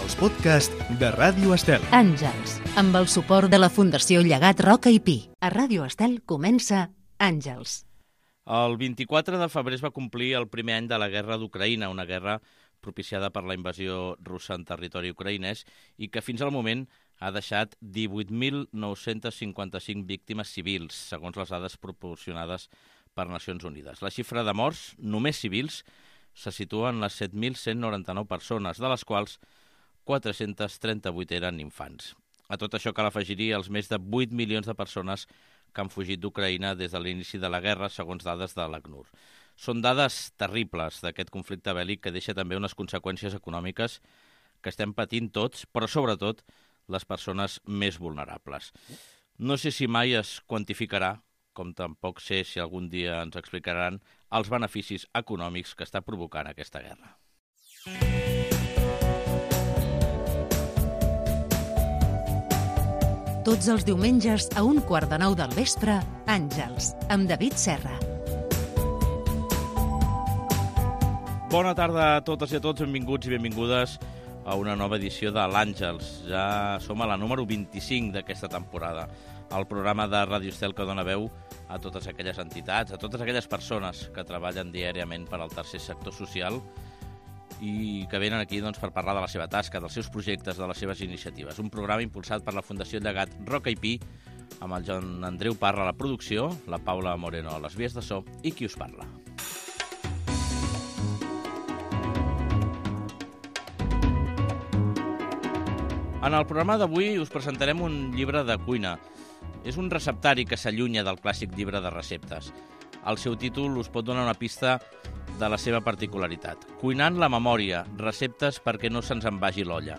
els podcasts de Ràdio Estel. Àngels, amb el suport de la Fundació Llegat Roca i Pi. A Ràdio Estel comença Àngels. El 24 de febrer es va complir el primer any de la guerra d'Ucraïna, una guerra propiciada per la invasió russa en territori ucraïnès i que fins al moment ha deixat 18.955 víctimes civils, segons les dades proporcionades per Nacions Unides. La xifra de morts, només civils, se situa en les 7.199 persones, de les quals 438 eren infants. A tot això cal afegir-hi els més de 8 milions de persones que han fugit d'Ucraïna des de l'inici de la guerra, segons dades de l'ACNUR. Són dades terribles d'aquest conflicte bèl·lic que deixa també unes conseqüències econòmiques que estem patint tots, però sobretot les persones més vulnerables. No sé si mai es quantificarà, com tampoc sé si algun dia ens explicaran, els beneficis econòmics que està provocant aquesta guerra. Tots els diumenges a 8:45 del vespre, Àngels, amb David Serra. Bona tarda a totes i a tots, benvinguts i benvingudes a una nova edició de l'Àngels. Ja som a la número 25 d'aquesta temporada, el programa de Ràdio Estel que dona veu a totes aquelles entitats, a totes aquelles persones que treballen diàriament per al tercer sector social i que venen aquí per parlar de la seva tasca, dels seus projectes, de les seves iniciatives. Un programa impulsat per la Fundació Llegat Roca i Pi, amb el Joan Andreu Parra a la producció, la Paula Moreno a les vies de so i qui us parla. En el programa d'avui us presentarem un llibre de cuina. És un receptari que s'allunya del clàssic llibre de receptes. El seu títol us pot donar una pista de la seva particularitat. Cuinant la memòria, receptes perquè no se'ns en vagi l'olla.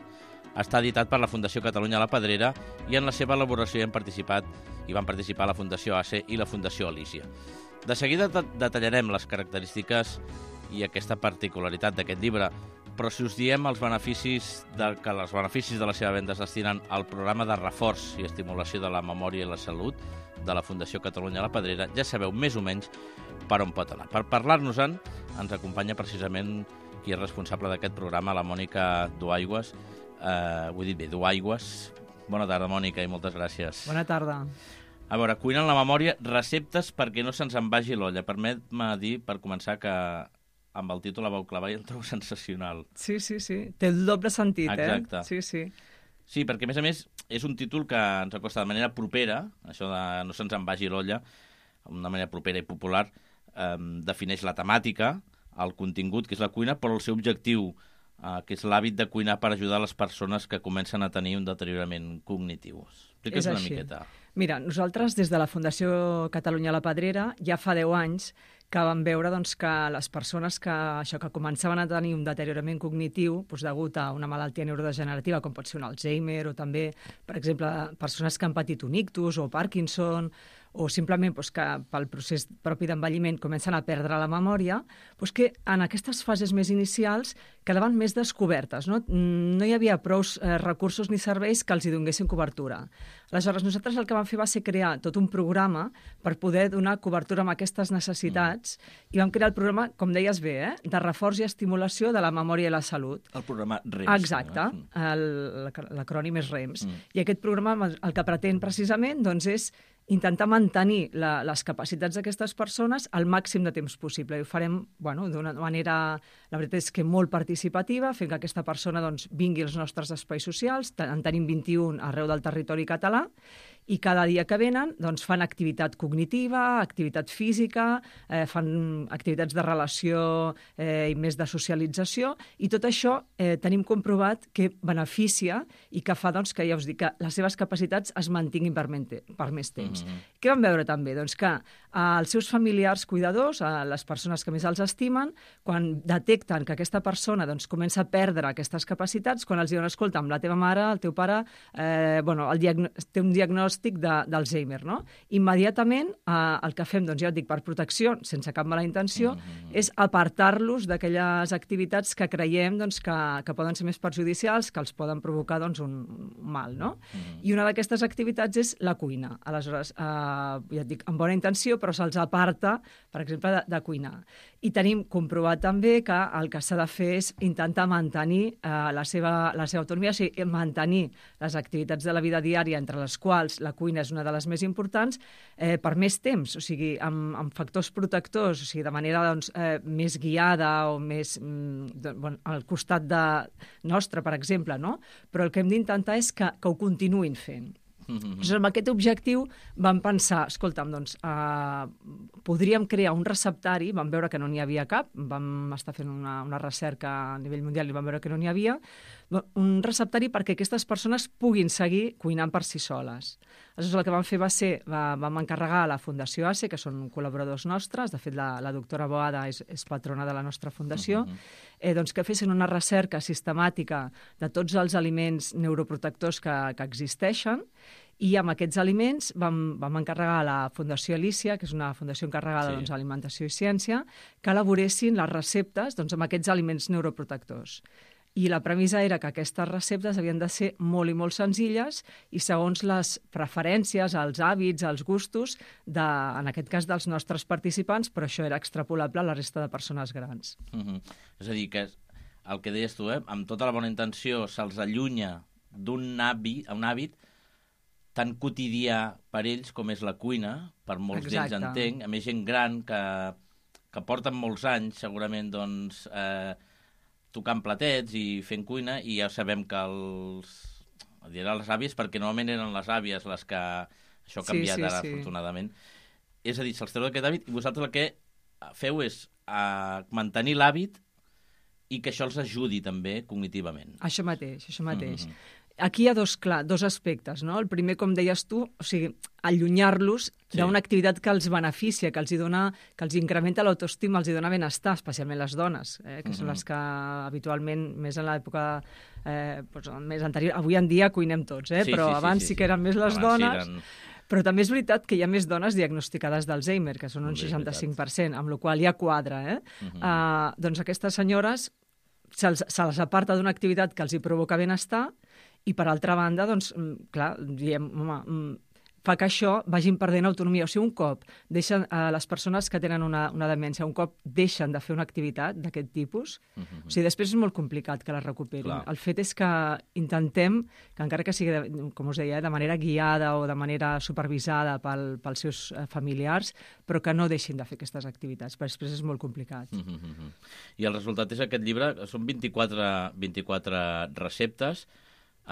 Està editat per la Fundació Catalunya La Pedrera i en la seva elaboració van participar la Fundació ACE i la Fundació Alícia. De seguida detallarem les característiques i aquesta particularitat d'aquest llibre, però si us diem que els beneficis de la seva venda es destinen al programa de reforç i estimulació de la memòria i la salut de la Fundació Catalunya La Pedrera, ja sabeu més o menys per on pot anar. Per parlar-nos-en ens acompanya precisament qui és responsable d'aquest programa, la Mònica Duaigües. Ho he dit bé, Duaigües. Bona tarda, Mònica, i moltes gràcies. Bona tarda. A veure, cuinant la memòria, receptes perquè no se'ns en vagi l'olla. Permet-me dir, per començar, que amb el títol la vau clavar i el trobo sensacional. Sí. Té el doble sentit, Exacte. Sí. Sí, perquè, a més, és un títol que ens acosta de manera propera, això de no se'ns en vagi l'olla, d'una manera propera i popular, defineix la temàtica, el contingut, que és la cuina, però el seu objectiu, que és l'hàbit de cuinar per ajudar les persones que comencen a tenir un deteriorament cognitiu. Explica's una miqueta. Mira, nosaltres des de la Fundació Catalunya La Pedrera ja fa 10 anys que vam veure que les persones que començaven a tenir un deteriorament cognitiu degut a una malaltia neurodegenerativa, com pot ser un Alzheimer, o també, per exemple, persones que han patit un ictus o Parkinson, o simplement que pel procés propi d'envelliment comencen a perdre la memòria, que en aquestes fases més inicials quedaven més descobertes. No hi havia prou recursos ni serveis que els hi donessin cobertura. Aleshores, nosaltres el que vam fer va ser crear tot un programa per poder donar cobertura a aquestes necessitats i vam crear el programa, com deies bé, de reforç i estimulació de la memòria i la salut. El programa REMS. Exacte, l'acrònim és REMS. I aquest programa el que pretén precisament és intentar mantenir les capacitats d'aquestes persones al màxim de temps possible. I ho farem d'una manera, la veritat és que molt participativa, fent que aquesta persona vingui als nostres espais socials. En tenim 21 arreu del territori català, i cada dia que venen fan activitat cognitiva, activitat física, fan activitats de relació i més de socialització, i tot això tenim comprovat que beneficia i que fa que, ja us dic, que les seves capacitats es mantinguin per més temps. Què vam veure també? Que els seus familiars cuidadors, les persones que més els estimen, quan detecten que aquesta persona comença a perdre aquestes capacitats, quan els diuen, escolta, amb la teva mare, el teu pare, té un diagnòstic diagnòstic d'Alzheimer, no? Immediatament el que fem, doncs ja et dic, per protecció, sense cap mala intenció, és apartar-los d'aquelles activitats que creiem doncs, que poden ser més perjudicials, que els poden provocar doncs, un mal, no? I una d'aquestes activitats és la cuina. Aleshores, ja et dic, amb bona intenció, però se'ls aparta, per exemple, de cuinar. I tenim comprovat també que el que s'ha de fer és intentar mantenir la seva autonomia, o sigui, mantenir les activitats de la vida diària, entre les quals la cuina és una de les més importants, per més temps, o sigui, amb factors protectors, o sigui, de manera doncs, més guiada o més al costat nostre, per exemple, no? Però el que hem d'intentar és que ho continuïn fent. Amb aquest objectiu vam pensar, escolta'm, doncs, podríem crear un receptari, vam veure que no n'hi havia cap, vam estar fent una recerca a nivell mundial i vam veure que no n'hi havia, un receptari perquè aquestes persones puguin seguir cuinant per si soles. Aleshores, el que vam fer va ser, vam encarregar a la Fundació ACE, que són col·laboradors nostres, de fet la doctora Boada és patrona de la nostra fundació, doncs que fessin una recerca sistemàtica de tots els aliments neuroprotectors que existeixen, i amb aquests aliments vam encarregar a la Fundació Alícia, que és una fundació encarregada a alimentació i ciència, que elaboressin les receptes amb aquests aliments neuroprotectors. I la premissa era que aquestes receptes havien de ser molt i molt senzilles i segons les preferències, els hàbits, els gustos, en aquest cas dels nostres participants, però això era extrapolable a la resta de persones grans. És a dir, que el que deies tu, amb tota la bona intenció se'ls allunya d'un hàbit tan quotidià per ells com és la cuina, per molts d'ells entenc, a més gent gran que porten molts anys segurament doncs tocant platets i fent cuina, i ja sabem que diré les àvies, perquè normalment eren les àvies les que això ha canviat ara, afortunadament. És a dir, se'ls treu d'aquest hàbit i vosaltres el que feu és mantenir l'hàbit i que això els ajudi també cognitivament. Això mateix. Aquí hi ha dos aspectes, no? El primer, com deies tu, o sigui, allunyar-los d'una activitat que els beneficia, que els incrementa l'autoestima, els dona benestar, especialment les dones, que són les que habitualment, més en l'època més anterior, avui en dia cuinem tots, però abans sí que eren més les dones. Però també és veritat que hi ha més dones diagnosticades d'Alzheimer, que són un 65%, amb la qual cosa ja quadra. Doncs aquestes senyores se les aparta d'una activitat que els hi provoca benestar i, per altra banda, doncs, clar, diem, home, fa que això vagin perdent autonomia. O sigui, un cop deixen les persones que tenen una demència, un cop deixen de fer una activitat d'aquest tipus, o sigui, després és molt complicat que la recuperin. El fet és que intentem que, encara que sigui, com us deia, de manera guiada o de manera supervisada pels seus familiars, però que no deixin de fer aquestes activitats, perquè després és molt complicat. I el resultat és aquest llibre, són 24 receptes,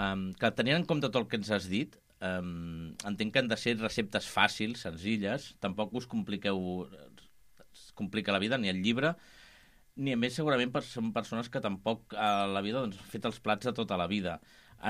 que tenint en compte tot el que ens has dit, entenc que han de ser receptes fàcils, senzilles, tampoc us complica la vida, ni el llibre, ni a més segurament són persones que tampoc a la vida han fet els plats de tota la vida.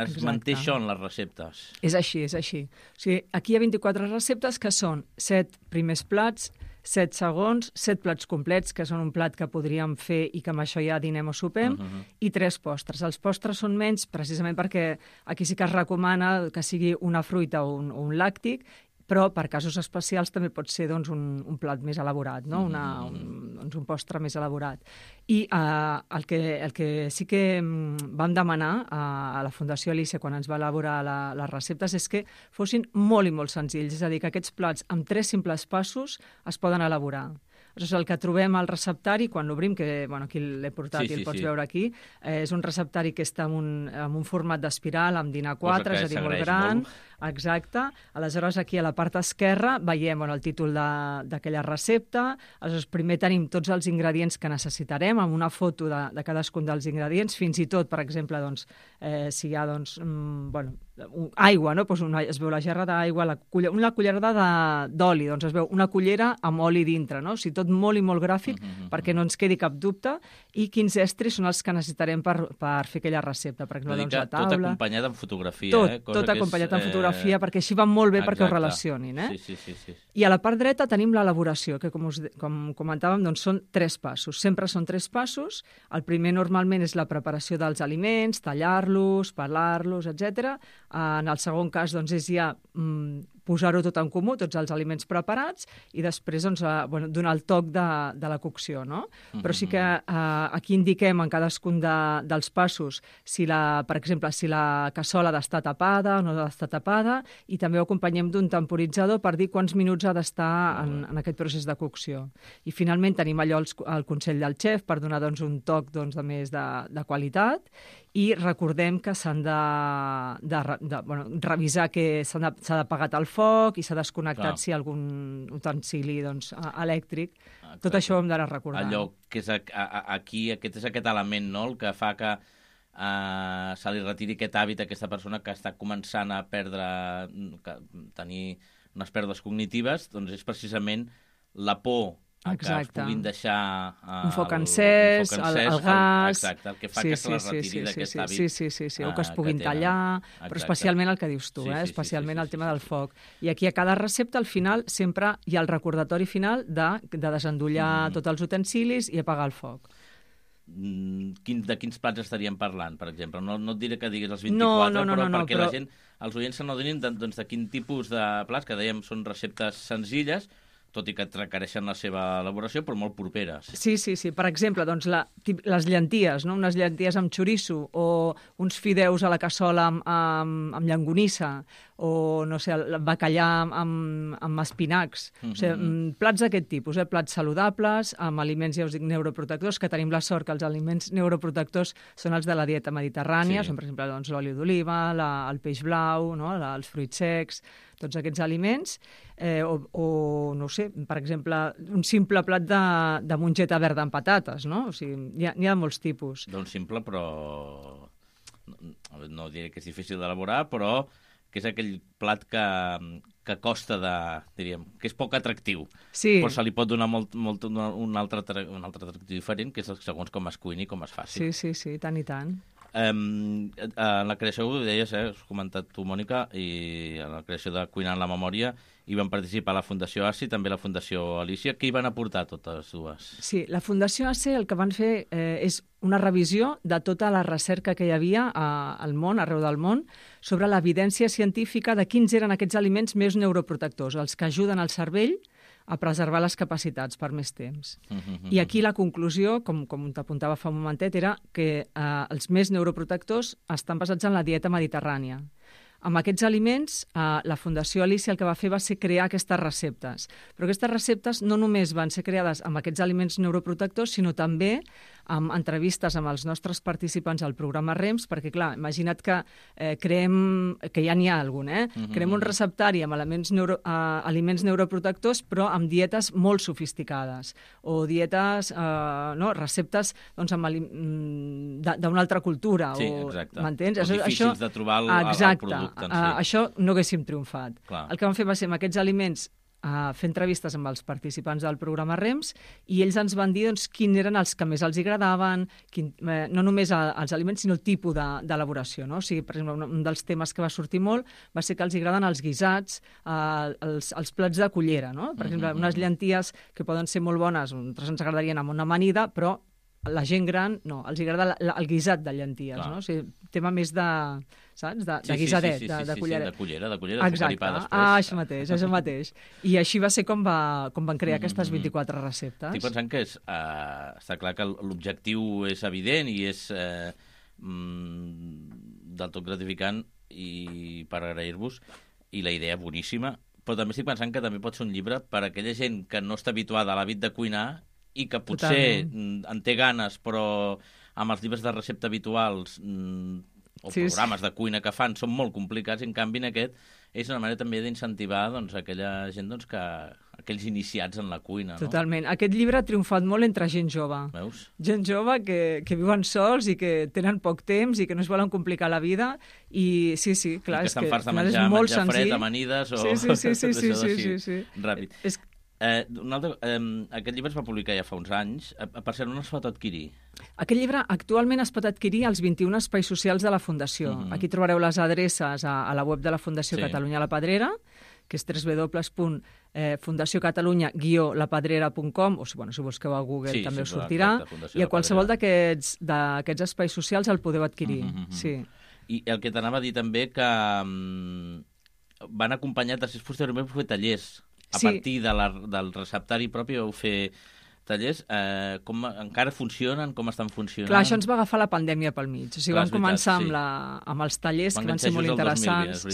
Es manté això en les receptes. És així. O sigui, aquí hi ha 24 receptes que són 7 primers plats, 7 segons, 7 plats complets, que són un plat que podríem fer i que amb això ja dinem o sopem, i 3 postres. Els postres són menys precisament perquè aquí sí que es recomana que sigui una fruita o un làctic, però per casos especials també pot ser doncs, un plat més elaborat, no? Un postre més elaborat. I el que sí que vam demanar a la Fundació Alícia quan ens va elaborar les receptes és que fossin molt i molt senzills, és a dir, que aquests plats amb 3 simples passos es poden elaborar. El que trobem al receptari, quan l'obrim, que aquí l'he portat i el pots veure aquí, és un receptari que està en un format d'espiral, amb dinar 4, és a dir, molt gran. Exacte. Aleshores, aquí a la part esquerra veiem el títol d'aquella recepta. Aleshores, primer tenim tots els ingredients que necessitarem, amb una foto de cadascun dels ingredients, fins i tot, per exemple, si hi ha aigua, no? Es veu la gerra d'aigua, una cullerada d'oli, doncs es veu una cullera amb oli dintre, no? O sigui, tot molt i molt gràfic perquè no ens quedi cap dubte, i quins estris són els que necessitarem per fer aquella recepta. Per exemple, la taula. Tot acompanyat amb fotografia. Tot acompanyat amb fotografia. fotografia, perquè així va molt bé perquè ho relacionin. Sí. I a la part dreta tenim l'elaboració, que com comentàvem, doncs són 3 passos. Sempre són 3 passos. El primer normalment és la preparació dels aliments, tallar-los, pelar-los, etc. En el segon cas doncs, és ja posar-ho tot en comú, tots els aliments preparats, i després doncs, donar el toc de la cocció. No? Però sí que aquí indiquem en cadascun dels passos, per exemple, si la cassola ha d'estar tapada o no ha d'estar tapada, i també ho acompanyem d'un temporitzador per dir quants minuts ha d'estar en aquest procés de cocció. I finalment tenim allò el consell del xef per donar doncs, un toc doncs, de més de qualitat, i recordem que s'han de revisar que s'ha d'apagar el foc i s'ha desconnectat si hi ha algun utensili doncs, elèctric. Exacte. Tot això ho hem d'anar recordant. Allò que és aquí, aquest és aquest element, no?, el que fa que se li retiri aquest hàbit a aquesta persona que està començant a tenir unes pèrdues cognitives, doncs és precisament la por a que es puguin deixar un foc encès, el gas... Exacte, el que fa que se la retiri d'aquest hàbit. Sí, o que es puguin tallar, però especialment el que dius tu, especialment el tema del foc. I aquí a cada recepta, al final, sempre hi ha el recordatori final de desendollar tots els utensilis i apagar el foc. De quins plats estaríem parlant, per exemple? No et diré que diguis els 24, però perquè la gent, els oients se n'adonin de quin tipus de plats, que dèiem són receptes senzilles, tot i que requereixen la seva elaboració, però molt properes. Sí. Per exemple, doncs, les llenties, no? Unes llenties amb xoriço, o uns fideus a la cassola amb llonganissa, o, no sé, el bacallà amb espinacs. O sigui, plats d'aquest tipus, plats saludables, amb aliments, ja us dic, neuroprotectors, que tenim la sort que els aliments neuroprotectors són els de la dieta mediterrània, són, per exemple, doncs, l'oli d'oliva, el peix blau, no? Els fruits secs, tots aquests aliments, o no sé, per exemple, un simple plat de mongeta verda amb patates, no? O sigui, n'hi ha molts tipus. Doncs simple, però no diré que és difícil d'elaborar, però que és aquell plat que costa diríem, que és poc atractiu. Sí. Però se li pot donar un altre atractiu diferent, que és segons com es cuini i com es faci. Sí, tant i tant. En la creació, ho deies, has comentat tu, Mònica, i en la creació de Cuinant la Memòria hi van participar la Fundació ACI, també la Fundació Alícia. Què hi van aportar totes dues? Sí, la Fundació ACI el que van fer és una revisió de tota la recerca que hi havia al món, arreu del món, sobre l'evidència científica de quins eren aquests aliments més neuroprotectors, els que ajuden al cervell a preservar les capacitats per més temps. I aquí la conclusió, com t'apuntava fa un momentet, era que els més neuroprotectors estan basats en la dieta mediterrània. Amb aquests aliments, la Fundació Alícia el que va fer va ser crear aquestes receptes. Però aquestes receptes no només van ser creades amb aquests aliments neuroprotectors, sinó també amb entrevistes amb els nostres participants al programa REMS, perquè, clar, imagina't que que ja n'hi ha algun, creem un receptari amb aliments neuroprotectors, però amb dietes molt sofisticades, o dietes, receptes d'una altra cultura. Sí, exacte. M'entens? O difícils de trobar el producte. Això no haguéssim triomfat. Clar. El que vam fer va ser amb aquests aliments fer entrevistes amb els participants del programa REMS i ells ens van dir quins eren els que més els agradaven, no només els aliments, sinó el tipus d'elaboració. No? O sigui, per exemple, un dels temes que va sortir molt va ser que els agraden els guisats, els plats de cullera. No? Per exemple, unes llenties que poden ser molt bones, nosaltres ens agradarien amb una amanida, però la gent gran, no, els agrada el guisat de llenties, no? O sigui, tema més de, saps? De guisadet, de cullera. Sí, de cullera, de sucar i pa després. Això mateix. I així va ser com van crear aquestes 24 receptes. Estic pensant que està clar que l'objectiu és evident i és del tot gratificant i per agrair-vos, i la idea boníssima, però també estic pensant que també pot ser un llibre per a aquella gent que no està habituada a l'hàbit de cuinar i que potser en té ganes, però amb els llibres de recepta habituals o programes de cuina que fan són molt complicats, i en canvi en aquest és una manera també d'incentivar aquella gent aquells iniciats en la cuina. No? Totalment. Aquest llibre ha triomfat molt entre gent jove. Veus? Gent jove que viuen sols i que tenen poc temps i que no es volen complicar la vida, i sí, clar, i que estan farts de menjar fred, amanides o... Sí. Ràpid. Aquest llibre es va publicar ja fa uns anys. Per cert, on es pot adquirir? Aquest llibre actualment es pot adquirir als 21 espais socials de la Fundació. Aquí trobareu les adreces a la web de la Fundació Catalunya La Pedrera, que és www.fundaciocatalunya-lapedrera.com, o si busqueu a Google també us sortirà, i a qualsevol d'aquests espais socials el podeu adquirir. I el que t'anava a dir també, que van acompanyar després posteriorment per fer tallers. A partir del receptari propi vau fer tallers. Encara funcionen? Com estan funcionant? Clar, això ens va agafar la pandèmia pel mig. O sigui, vam començar amb els tallers, que van ser molt interessants.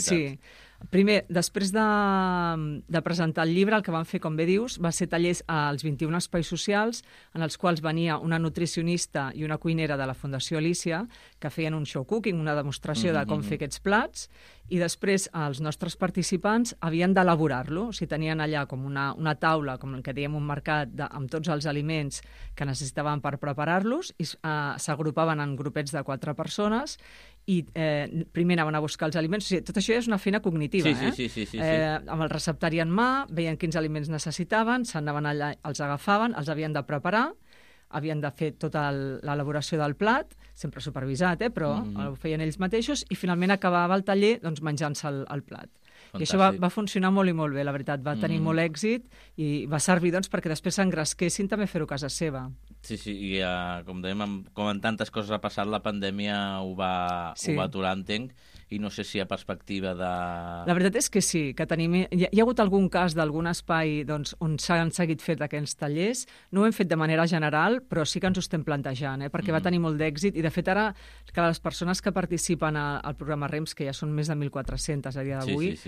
Primer, després de presentar el llibre, el que vam fer, com bé dius, va ser tallers als 21 espais socials, en els quals venia una nutricionista i una cuinera de la Fundació Alícia, que feien un show cooking, una demostració de com fer aquests plats, i després els nostres participants havien d'elaborar-lo. O sigui, tenien allà com una taula, com el que dèiem un mercat, amb tots els aliments que necessitaven per preparar-los, i s'agrupaven en grupets de 4 persones, i primer anaven a buscar els aliments. O sigui, tot això és una feina cognitiva. Amb el receptari en mà, veien quins aliments necessitaven, s'anaven allà, els agafaven, els havien de preparar, havien de fer tota l'elaboració del plat, sempre supervisat, però ho feien ells mateixos, i finalment acabava el taller menjant-se el plat. Fantàstic. I això va funcionar molt i molt bé, la veritat. Va tenir molt èxit i va servir perquè després s'engresquessin també fer-ho a casa seva. Sí, i com dèiem, com en tantes coses ha passat, la pandèmia ho va aturar, entenc, i no sé si hi ha perspectiva de... La veritat és que sí, que hi ha hagut algun cas d'algun espai on s'han seguit fet aquests tallers. No ho hem fet de manera general, però sí que ens ho estem plantejant, perquè va tenir molt d'èxit, i de fet ara que les persones que participen al programa REMS, que ja són més de 1.400 a dia d'avui,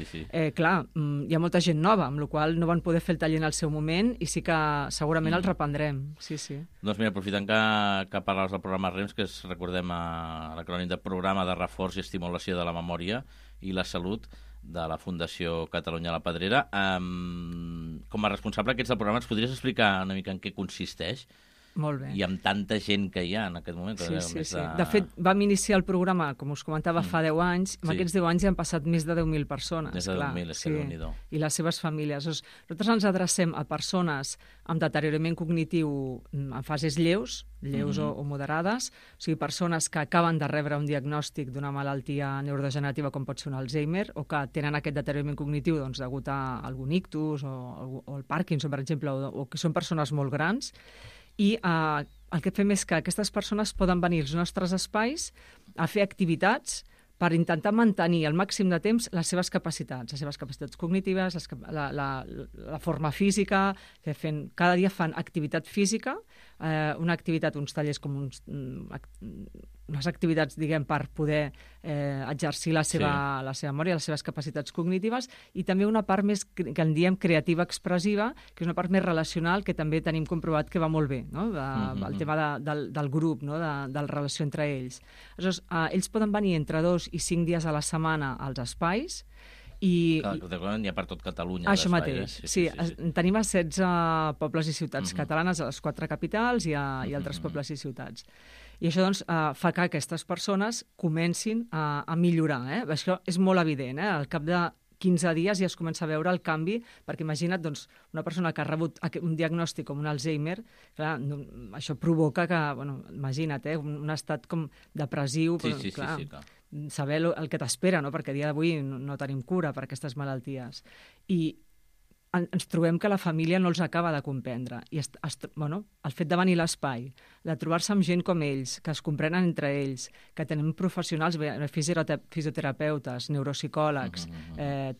clar, hi ha molta gent nova, amb la qual cosa no van poder fer el taller en el seu moment, i sí que segurament el reprendrem. Doncs mira, aprofitant que parles del programa REMS, que recordem l'acrònim de Programa de Reforç i Estimulació de la Memòria i la Salut de la Fundació Catalunya La Pedrera, com a responsable d'aquests del programa, ens podries explicar una mica en què consisteix? Molt bé. I amb tanta gent que hi ha en aquest moment. Sí. De fet, vam iniciar el programa, com us comentava, fa 10 anys. En aquests 10 anys hi han passat més de 10.000 persones. Més de 10.000, és que Déu-n'hi-do. I les seves famílies. Nosaltres ens adrecem a persones amb deteriorament cognitiu en fases lleus o moderades, o sigui, persones que acaben de rebre un diagnòstic d'una malaltia neurodegenerativa com pot ser un Alzheimer, o que tenen aquest deteriorament cognitiu degut a algun ictus o el Parkinson, per exemple, o que són persones molt grans. I el que fem és que aquestes persones poden venir als nostres espais a fer activitats per intentar mantenir al màxim de temps les seves capacitats cognitives, la forma física, que cada dia fan activitat física, uns tallers com unes activitats, diguem, per poder exercir la seva memòria, les seves capacitats cognitives, i també una part més, que en diem creativa expressiva, que és una part més relacional, que també tenim comprovat que va molt bé, no? El tema del grup, no? De la relació entre ells. Aleshores, ells poden venir entre 2 i 5 dies a la setmana als espais, i hi ha per tot Catalunya. Això mateix, sí. Tenim a 16 pobles i ciutats catalanes, a les 4 capitals i altres pobles i ciutats. I això fa que aquestes persones comencin a millorar. Això és molt evident. Al cap de 15 dies ja es comença a veure el canvi, perquè imagina't una persona que ha rebut un diagnòstic com un Alzheimer, clar, això provoca que, imagina't, un estat com depressiu, clar, saber el que t'espera, perquè a dia d'avui no tenim cura per aquestes malalties. I ens trobem que la família no els acaba de comprendre. I el fet de venir a l'espai, de trobar-se amb gent com ells, que es comprenen entre ells, que tenim professionals, fisioterapeutes, neuropsicòlegs,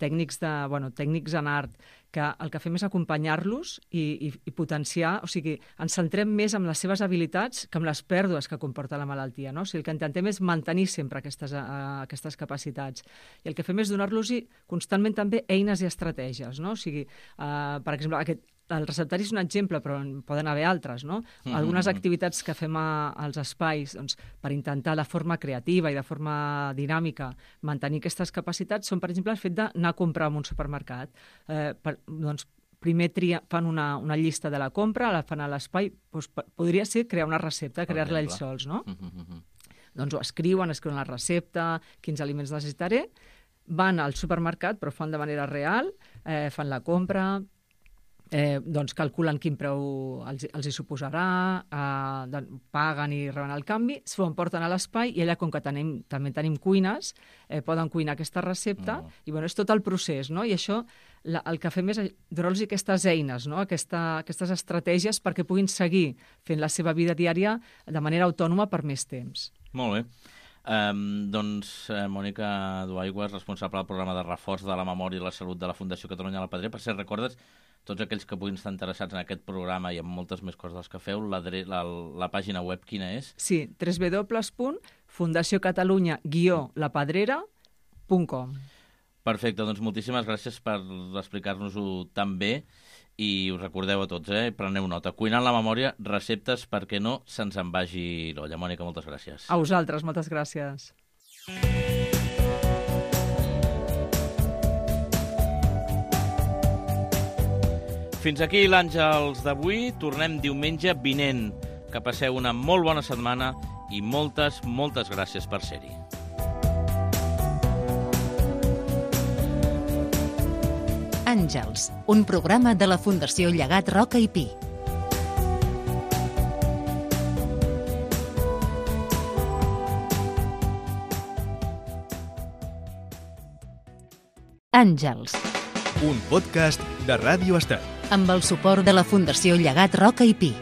tècnics en art, que el que fem és acompanyar-los i potenciar, o sigui, ens centrem més en les seves habilitats que en les pèrdues que comporta la malaltia, no? O sigui, el que intentem és mantenir sempre aquestes capacitats. I el que fem és donar-los constantment també eines i estratègies, no? O sigui, per exemple, el receptari és un exemple, però en poden haver altres, no? Algunes activitats que fem als espais per intentar de forma creativa i de forma dinàmica mantenir aquestes capacitats són, per exemple, el fet d'anar a comprar en un supermercat. Primer fan una llista de la compra, la fan a l'espai, podria ser crear una recepta, crear-la ells sols, no? Doncs ho escriuen la recepta, quins aliments necessitaré, van al supermercat, però fan de manera real, fan la compra, doncs calculen quin preu els hi suposarà, paguen i reben el canvi, s'ho emporten a l'espai i allà, com que també tenim cuines, poden cuinar aquesta recepta i és tot el procés, no? I això el que fem és donar-los aquestes eines, no? Aquestes estratègies perquè puguin seguir fent la seva vida diària de manera autònoma per més temps. Molt bé. Mònica Duaigües, responsable del programa de reforç de la memòria i la salut de la Fundació Catalunya La Pedrera. Per cert, recordes tots aquells que puguin estar interessats en aquest programa i en moltes més coses que feu, la pàgina web quina és? Sí, www.fundaciocatalunya-lapedrera.com. Perfecte, doncs moltíssimes gràcies per explicar-nos-ho tan bé i us recordeu a tots, preneu nota. Cuinant la memòria, receptes perquè no se'ns en vagi l'olla. Mònica, moltes gràcies. A vosaltres, moltes gràcies. Fins aquí l'Àngels d'avui. Tornem diumenge vinent. Que passeu una molt bona setmana i moltes, moltes gràcies per ser-hi. Àngels, un programa de la Fundació Llegat Roca i Pi. Àngels. Un podcast de Ràdio Estel. Amb el suport de la Fundació Llegat Roca i Pi.